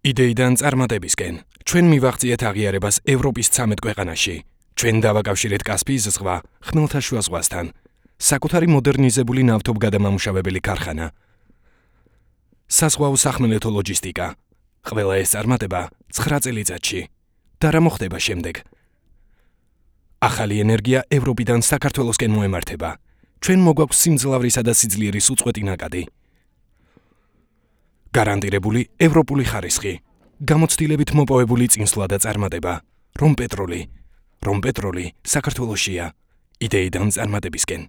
იდეიდან წარმატებისკენ. ჩვენ მივაღწიეთ აღიარებას ევროპის 13 ქვეყანაში. ჩვენ დავაკავშირეთ კასპიის ზღვა ხმელთაშუა ზღვასთან. საკუთარი მოდერნიზებული ნავთობგადამამუშავებელი ქარხანა. საზღვაო სახმელეთო ლოჯისტიკა. ყველა ეს წარმატება 9 წელიწადში. და რა მოხდება შემდეგ? ახალი ენერგია ევროპიდან საქართველოსკენ მოემართება. ჩვენ მოგვაქვს სიმძლავრისა და სიძლიერის უწყვეტი ნაკადი. გარანტირებული ევროპული ხარისხი. გამოცდილებით მოპოვებული წინსვლა და წარმატება. რომ პეტროლი საქართველოსია. იდეიდან წარმატებისკენ.